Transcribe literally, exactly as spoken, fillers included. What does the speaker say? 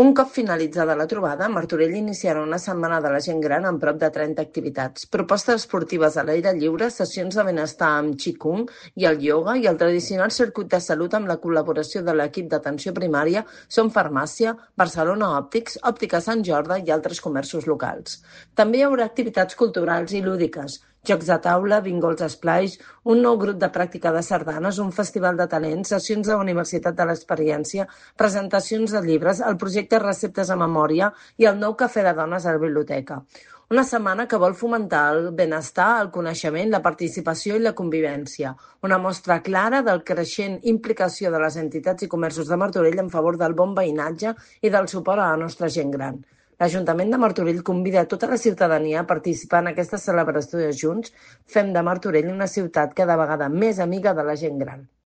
Un cop finalitzada la trobada, Martorell iniciarà una setmana de la gent gran amb prop de trenta activitats. Propostes esportives a l'aire lliure, sessions de benestar amb Qigong i el ioga i el tradicional circuit de salut amb la col·laboració de l'equip d'atenció primària Som Farmàcia, Barcelona Òptics, Òptica Sant Jordi i altres comerços locals. També hi haurà activitats culturals i lúdiques, jocs de taula, bingols esplais, un nou grup de pràctica de sardanes, un festival de talents, sessions de la Universitat de l'Experiència, presentacions de llibres, el projecte Receptes a Memòria i el nou cafè de dones a la biblioteca. Una setmana que vol fomentar el benestar, el coneixement, la participació i la convivència. Una mostra clara del creixent implicació de les entitats i comerços de Martorell en favor del bon veïnatge i del suport a la nostra gent gran. L'Ajuntament de Martorell convida a tota la ciutadania a participar en aquesta celebració de Junts. Fem de Martorell una ciutat cada vegada més amiga de la gent gran.